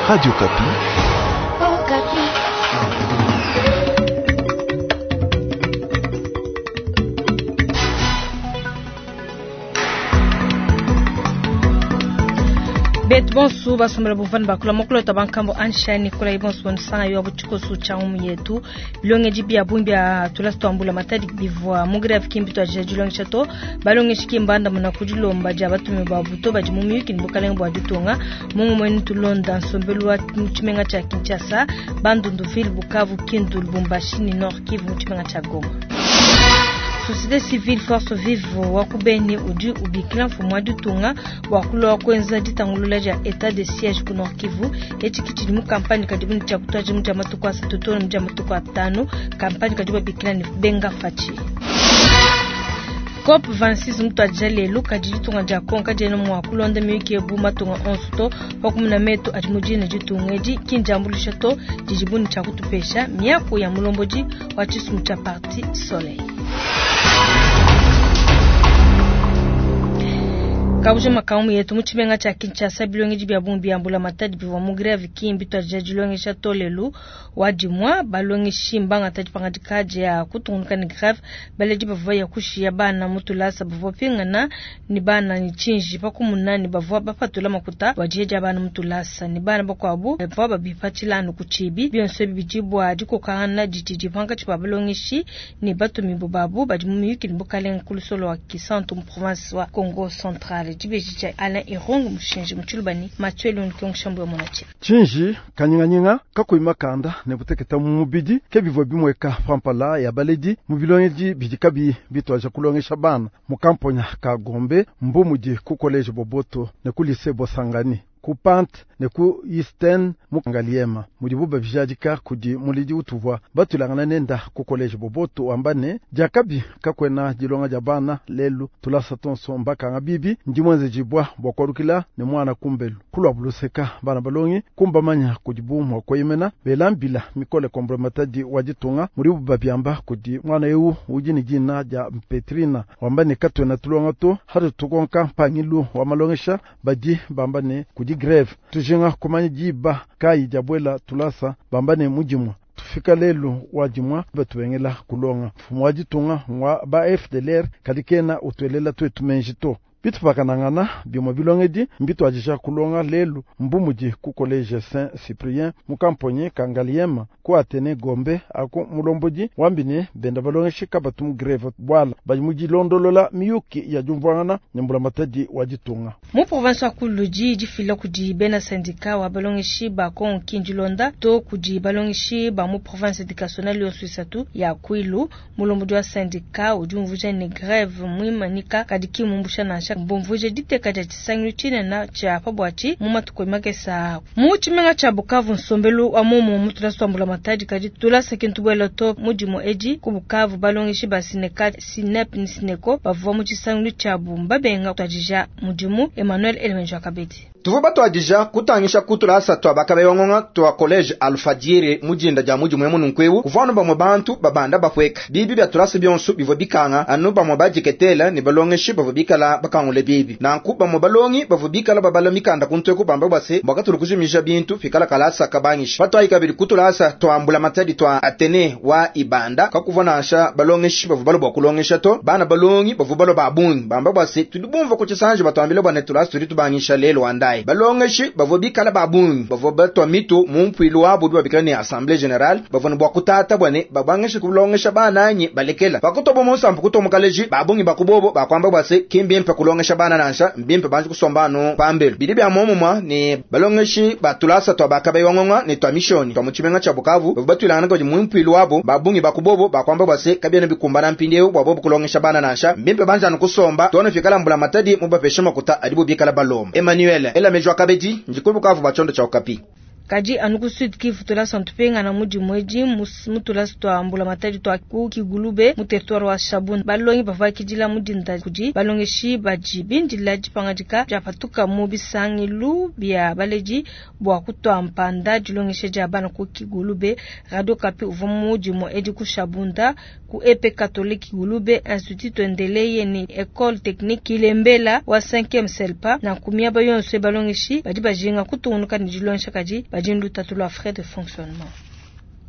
Radio Okapi. Betu bonsu basombela buvani bakula mokulota bankambo ansha Nikolai bonsu bonisanga yo butshikosu tsha ngumu yetu bilongeji bia bungi bia tulasa twambula matadi bivua mu greve kimbi twajija dilongesha to balongeshi kimbanda muna kudilomba dia batumi ba buto badi mu miyuki ne bukalenge bua ditunga mungu mwenu tulonda nsombelu wa mu tshimenga tshia Kinshasa, Bandundu-ville, Bukavu, Kindu, Lubumbashi ne Nord Kivu mu tshimenga tshia Goma. Société civile Force Vive wa ku Beni udi ubikila mfumu wa ditunga bua kulua kuenza ditangulula dia etat de siège ku Nord Kivu. Etshi ke tshidi mu kampanye kadibu ne tshia kutuadija mu dia matuku asatu too ne mu dia matuku atanu, kampanye kadibu babikila ne Benga Fatshi. COP 26 mutuadija lelu, kadi ditunga dia Congo kadiena mua kulonda miyuki bu matunga onso to, pa kumuna metu adi mu dina ditunga edi ki ndiambuluisha to didibu ne tshia kutupesha miaku ya mulombodi wa tshisumbu tshia Parti Soleil. Kabuja makamu yetu mu tshimenga tshia Kinshasa, bilongedi bia bungi bia mbulamatadi bivua mu greve ki mbituadija dilongesha to lelu wa dimua. Balongeshi mbangata dipangadika dia kutungunuka ne greve. Baledi bavua baya kushiya bana mu tulasa bavua bapingana ne bana ne tshinji pa kumuna ne bavua bapatula makuta bua diya dia bana mu tulasa ne bana bakuabu bavua babipatshila anu ku tshibi. Bionso ebi bidi bua dikokangana didi pankatshi pa balongeshi ne batumibue babu badi mu miyuki ne bukalenge ku lusolo wa Kisantu mu province wa Kongo Central. Dibeji dia Alain Irung Mushinji mu Tshiluba ne Mathieu Lundi Mushambu wa Monati. Tshinji kanyinganyinga kakuyi makanda ne buteketa mu mubidi ke bivua bimueka pampala ya baledi mu bilongedi bidi kabiyi bituaja kulongesha bana mu kamponya ka Gombe mbu mudi ku college Boboto ne ku lycée Bosangani ku Pante ne ku Eastern mu Ngaliema mudibu babijadika kudi muledi utuvua batulangana nenda ku college Boboto wamba ne diakabi kakuena dilonga dia bana lelu tulasa tonso mbakanga bibi ndi mwenzejibwa bua kualukila ne mwana kumbelu kulua buluseka bana balongi kumbamanya kudibu mua kueyemena bela mbila mikole kombula matadi wa ditunga mudibu babiamba kudi mwana eu udi ne dina dia Petrina wamba ne katuena tulonga to hatu tukonka mpangilu wa malongesha badi bamba ne kudi greve tujinga kumanya diba kayi diabuela tulasa bamba ne mudimu tufika lelu wa dimua batubengela kulonga mfumu wa ditunga wa ba FDLR kadi kena utuelela tuetu menji to bitupakanangana bimue bilongedi mbituadija kulonga lelu mbu mudi ku college Saint Cyprien mu kamponyi ka Ngaliema ku Atene Gombe aku mulombodi wambi ne benda balongeshi kabatu mu greve bwala badi mu dilondolola miyuki ya diumvuangana ne mbulamatadi wa ditunga. Mu province wa Kuludi difila kudi bena syndicat wa balongeshi ba Kongo Kindilonda to kudi balongeshi ba mu province educationnelle yonso isatu ya Kwilu. Mulombodi wa syndicat udi umvuija ne greve muimanyika kadi ki mumbusha nansha mbumvuije diteka dia tshisangilu tshinene tshia pa buatshi mu matuku makese mu tshimenga tshia Bukavu. Nsombelu wa muomu mu tulasa twa mbulamatadi kadi tulasa kintu buela to mudimu edi ku Bukavu. Balongeshi ba Sineka, Sinep ne Sineko bavua mu tshisangilu tshiabu mbabenga kutuadija mudimu. Emmanuel Elemenjo Kabedi. Tuvua batuadija kutangisha ku tulasa tua bakabeyongonga tua college Alfadjiri mu dinda dia mudimu emu nunkuewu kuvua anu bamue bantu babanda bapueka bibi bia tulasa bionso bivua bikanga anu bamue badiketela ne balongeshi bavua bikala bakangule bibi nanku bamue balongi bavua bikala babala mikanda kuntueku bamba bua se mbua kujimija bintu pikala kalasa kabangisha patuayi kabidi ku tulasa tua mbulamatadi tua Atene wa Ibanda kakuvua nansha balongeshi bavua balua bua kulongesha to bana balongi bavua balua ba bungi bamba bua se tudi bumvua ku tshisanji batuambile bua ne tulasa tudi tubangisha lelu wandayi balongeshi bavua bikala ba bungi bavua batua mitu mu mpuilu wabu udi babikila ne assemblée générale bavua ne bua kutata bua ne babangishe kulongesha bana anyi balekela pakutobo munsampu kutoa mukaleji ba bungi bakubobo bakwamba bua se ki mbimpe kulongesha bana nansha mbimpe banji kusomba anu pambelu bidi bia muomumua ne balongeshi ba tulasa tua bakabewangonga ne tua mishoni tua mu tshimenga tshia Bukavu bavua batuilangana kudi mu mpuilu wabu ba bungi bakubobo bakwamba bua se kabiena bikumbana mpindieu bua bobo kulongesha bana nansha mbimpe banji anu kusomba tuone fikala mbulamatadi mubapeshe makuta adibo bikala balomba. Emmanuel Ela Mejwa Kabedi ndi ku Bukavu ba tshiondo tshia Okapi. Kadi anu ku Sud Kivu tulasa ntupingana mu dimue edi mu tulasa tua mbulamatadi tua ku Kigulube mu territoire wa Shabunda. Balongi bavua bakidila mu dinda kudi balongeshi badi bindila dipangadika diapatuka mu bisangilu bia baledi bua kutua mpanda dilongesha dia bana ku Kigulube. Radio Okapi uvua mu dimue edi ku Shabunda ku EP Catholique Kigulube, Institut Tuendeleye ne Ecole Technique Kilembela wa 5e Selpa. Nanku miaba yonso balongeshi badi bajinga kutungunuka ne dilongesha kadi badi lutatu lua frais de fonctionnement.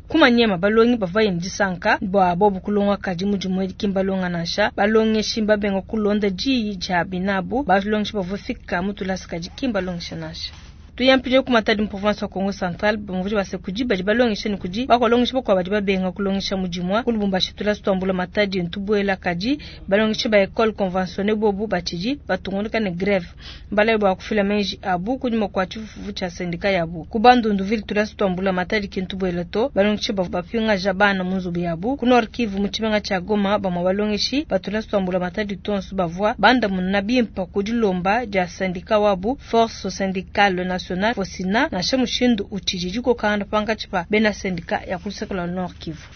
Ku Maniema balongi bavua ne disanka bua bobu kulonga kadi mu dimue ki mbalonga nansha. Balongeshi mbabenga kulonda diyi dia binabu. Balongeshi bavua fika mu tulasa kadi ki mbalongesha nansha. Tuyampije ku Matadi mu province wa Kongo Central bamuvudi base kudi badi balongesha ne kudi bakolongesha bakwa badi babenga kulongesha mu dimue ku Lubumbashi tulasa tuambula Matadi ntubuela kadi balongeshi ba école conventionnée bobu batshidi batungunuka ne grève. Mbalaye bua kufila meji abu kunyima kua tshifufu tshia syndicat yabu. Ku Bandundu ville tulasa tuambula Matadi ki ntubuela to balongeshi bavua bapingaja bana mu nzubu yabu. Ku Nord Kivu mu tshimenga tshia Goma bamue balongeshi ba tulasa tuambula Matadi tonso bavua bandamuna bimpe ku dilomba dia syndicat wabu Force Syndicale Nationale Fosina nansha mushindu utshidi dikokangana pankatshi pa bena syndicat ya ku luseke lua Nord Kivu.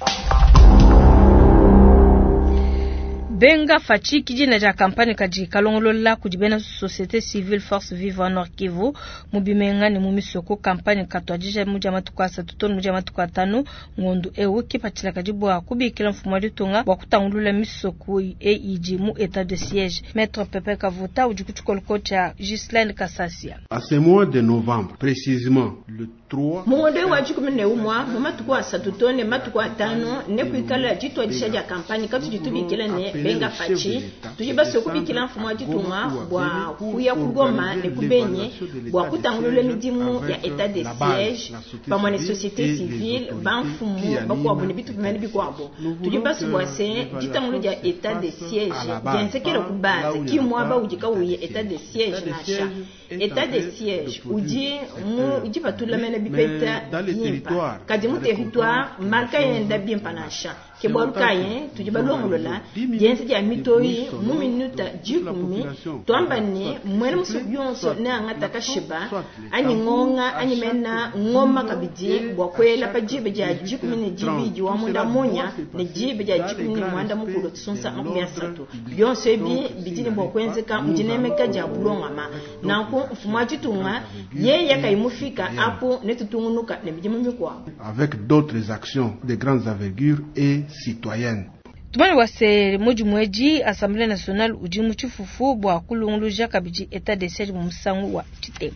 Benga Fatshi ki dina dia kampanye kadi kalongolola kudi bena société civile Force Vive Nord Kivu mu bimenga ne mu misoko. Kampanye katuadija mu dia matuku asatu to mu dia matuku atanu ngondu eu kipatshila kadi bua kubikila mfumu wa ditunga bua kutangulula misoko eidi mu état de siège. Maître Pepe Kavuta udi ku tshikoloko tshia Ghislaine Kasasia. À ce mois de novembre, précisément le 3 Mu ngondo wa 11 mu matuku asatu to ne matuku atanu ne kuikala dituadisha dia kampanye katudi tubikila ne Benga Fatshi tudi basue kubikila mfumu wa ditunga bua kuya ku Goma ne ku Beni bua kutangulula midimu ya état de siège pamue ne société civile bamfumu bakuabu ne bitu bimene bikuabu. Tudi basue bua se ditangulu dia état de siège dienzekele ku base ki muaba udi kauyi état de siège nansha. État de siège udi mu dipatula mene bipeta bimpa kadi mu territoire marka yenda bimpa nansha. Ke bualu kayi tudi balongolola dienza dia mitoyi mu minuta 10 twamba ne mwene musuku yonso ne angata kashiba anyi ngonga anyi mena ngoma kabidi bua kuela pa diba dia 12 wa munda munya ne diba dia 11 mukulu tusunsa 30 byonso ebi bidi ne bua kuenzeka mu dinemeka dia bulongama. Nanku mfumu wa ditunga yeye kayimufika apo ne tutungunuka ne midimu mikuabu avec d'autres actions de grandes envergure et citoyennes. Tumane wase mudimu edi Assemblée nationale udi mu tshifufu bua kulunguluja kabidi état de siège mu musangu wa tshitema.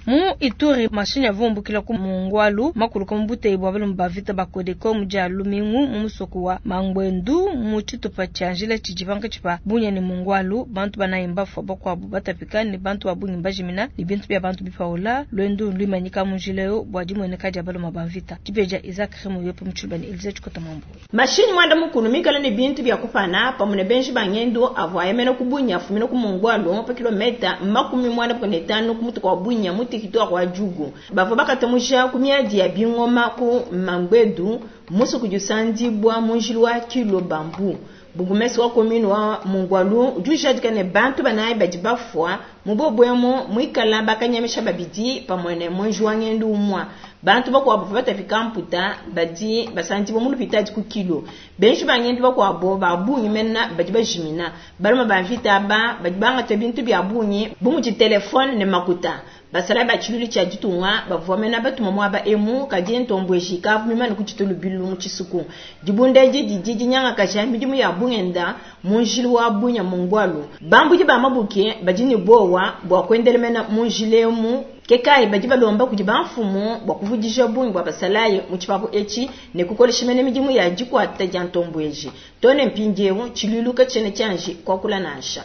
Mu Ituri mashinyi avumbukila ku Mungwalu makuluka mu buteyi bua balume ba vita ba Codeco mu dia Lumingu mu musoko wa Mangwendu mu tshitupa tshia njila tshidi pankatshi pa Bunia ne Mungwalu. Bantu banayi mbafua bakuabu batapika ne bantu ba bungi mbajimina ne bintu bia bantu bipaula. Lwendu luimanyika mu njila yo bua dimueneka dia balume ba vita. Dibeja Isaac Remo yope mu tshiluba ne Elise Tshikota Mambo. Mashinyi mwanda mukulu mikala ne bintu bia kupana pamue ne benji ba ngendo avua yemena ku Bunia afumina ku Mungwalu pa kilometa 95 ku mutuka wa Bunia mu territoire wa Djugu. Bavua bakatamusha ku miadi ya bingoma ku Mangwedu musuku jusandibwa mu njila wa Kilo Bambu. Bugumesi wa commune wa Mungwalu udi ujadika ne bantu banayi badi bafua mu bobwemo muikala bakanyamisha babidi pamue ne mwenji wa ngendo umwa. Bantu bakuabu batapika mputa badi basandibwa mu lupitadi ku Kilo. Benji ba ngendo bakuabu ba bungi mena badi bajimina. Balume ba mvita aba badi bangata bintu bia bungi bu mudi telefone ne makuta. Basala ba tshilulu tshia ditunga bavua mena batuma muaba emu kadi ntombweji kavu mimane ku tshitulu bilu mu tshisuku. Dibunda edi didi dinyangakaja midimu ya bungenda mu njila wa Bunia Mungwalu. Bambudi ba mabuke badi ne bowa bua kuendela mena mu njila emu. Ke kayi badi balomba kudi bamfumu bua kuvudija bungi bua basalayi mu tshipapu etshi ne kukolesha mene midimu ya dikuata dia ntombweji. Tone mpindieu tshilulu katshiena tshianji kuakula nansha.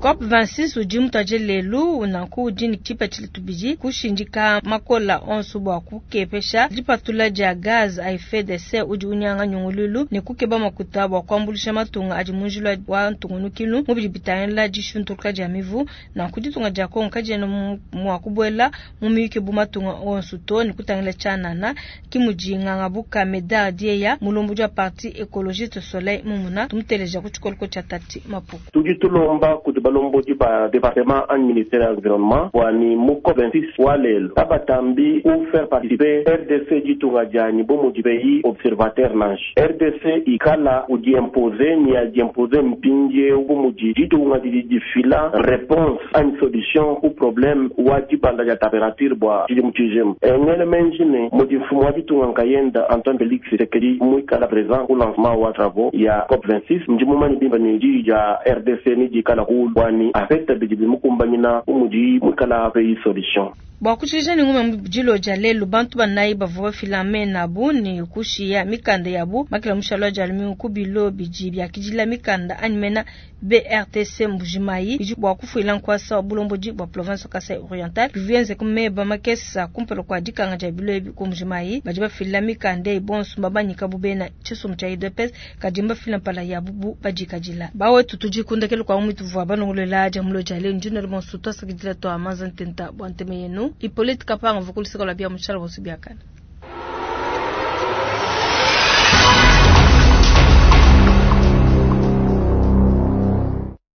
COP 26 udi mutaje lelu nanku udi ne tshipatshila tubidi kushindika makola onso bua kukepesha dipatula dia gaz à effet de serre udi unyanga nyungululu ne kukeba makuta bua kuambuluisha matunga adi mu njila wa ntungunukilu mu bidi bitangila dishintuluka dia mivu. Nanku ditunga dia Kongo kadiena mua kubuela mu miyuki bu matunga onso to ne kutangila tshianana ki mudi Ngangabuka Medard Dieya mulombo wa parti écologiste Soleil Mumuna tumuteleja ku tshikoloko tshia Tati Mapuku. Tudi tulomba kudi balombodi ba département anyi ministère ya environnement bua ni mu COP 26 wa lelo kabatambi ku faire participer RDC ditunga dianyi bu mudi pays observateur nansha. RDC ikala udiimposer ni adiimposer mpindieu bu mudi ditunga didi difila réponse anyi solution ku problème wa dibanda dia température bua tshidimu tshijima. Ngele menji ne mudi mfumu wa ditunga nkayenda Antoine Felix Tshisekedi muikala présent ku lancement wa travaux ya COP 26 ndi mumanye bimpe ne diyi dia RDC ni dikala kulu bua ni apeta bidi bimukumbanyina bu mudi muikala pays solution. Bua kutshilija ne ngumu ya mu dilo dia lelu, bantu banayi bavua bafila mena abu ne kushiya mikanda yabu makela mushalo wa dia lumingu ku bilo bidi biakidila mikanda anyi mena BRTC Mbujimayi bidi bua kufuila nkuasa wa bulombodi bua province wa Kasai Oriental. Bivua bienzeke meba makese kumpala kua dikanga dia bilo ebi ku Mbujimayi. Badi bafila mikanda eyi bonso mbabanyika bu bena tshisumbu tshia UDPS, kadi mbafila mpala yabu bu badikadila. Bawetu tudi ku ndekelu kua ngumu ituvua balongoluela dia mulo dia lelu. Ndi nuela bonso tuasakidila tua manza ntenta bua ntema yenu. Hippolyte Kapanga uvua ku luseke lua bia mushala bonso biakana.